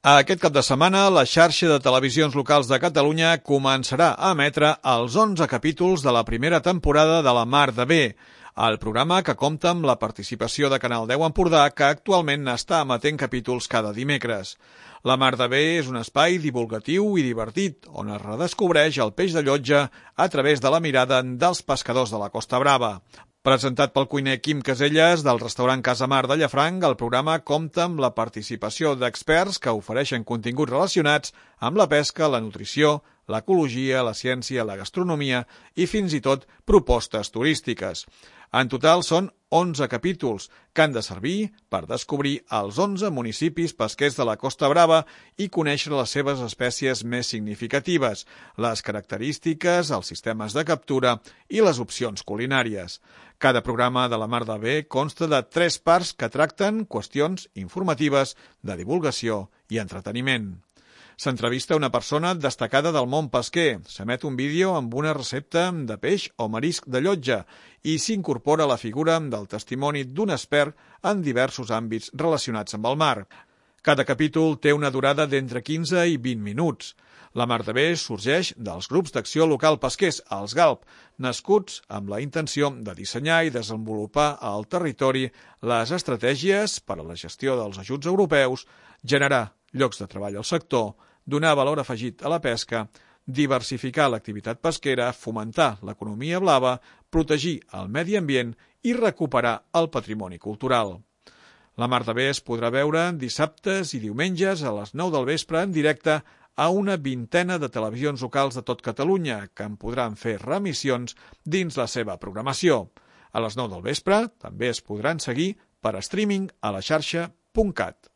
Aquest cap de setmana, la xarxa de televisions locals de Catalunya començarà a emetre els 11 capítols de la primera temporada de La Mar de Bé, el programa que compta amb la participació de Canal 10 Empordà, que actualment està emetent capítols cada dimecres. La Mar de Bé és un espai divulgatiu i divertit, on es redescobreix el peix de llotja a través de la mirada dels pescadors de la Costa Brava. Presentat pel cuiner Quim Caselles del restaurant Casa Mar de Llafranc, el programa compta amb la participació d'experts que ofereixen continguts relacionats amb la pesca, la nutrició, l'ecologia, la ciència, la gastronomia i fins i tot propostes turístiques. En total són 11 capítols que han de servir per descobrir els 11 municipis pesquers de la Costa Brava i conèixer les seves espècies més significatives, les característiques, els sistemes de captura i les opcions culinàries. Cada programa de La Mar de Bé consta de 3 parts que tracten qüestions informatives, de divulgació i entreteniment. S'entrevista una persona destacada del món pesquer, s'emet un vídeo amb una recepta de peix o marisc de llotja i s'incorpora la figura del testimoni d'un expert en diversos àmbits relacionats amb el mar. Cada capítol té una durada d'entre 15 i 20 minuts. La Mar de Bé sorgeix dels grups d'acció local pesquers, els GALP, nascuts amb la intenció de dissenyar i desenvolupar al territori les estratègies per a la gestió dels ajuts europeus, generar llocs de treball al sector, donar valor afegit a la pesca, diversificar l'activitat pesquera, fomentar l'economia blava, protegir el medi ambient i recuperar el patrimoni cultural. La Mar de Bé es podrà veure dissabtes i diumenges a les 9 del vespre en directe a una vintena de televisions locals de tot Catalunya, que en podran fer remissions dins la seva programació. A les 9 del vespre també es podran seguir per streaming a la xarxa.cat.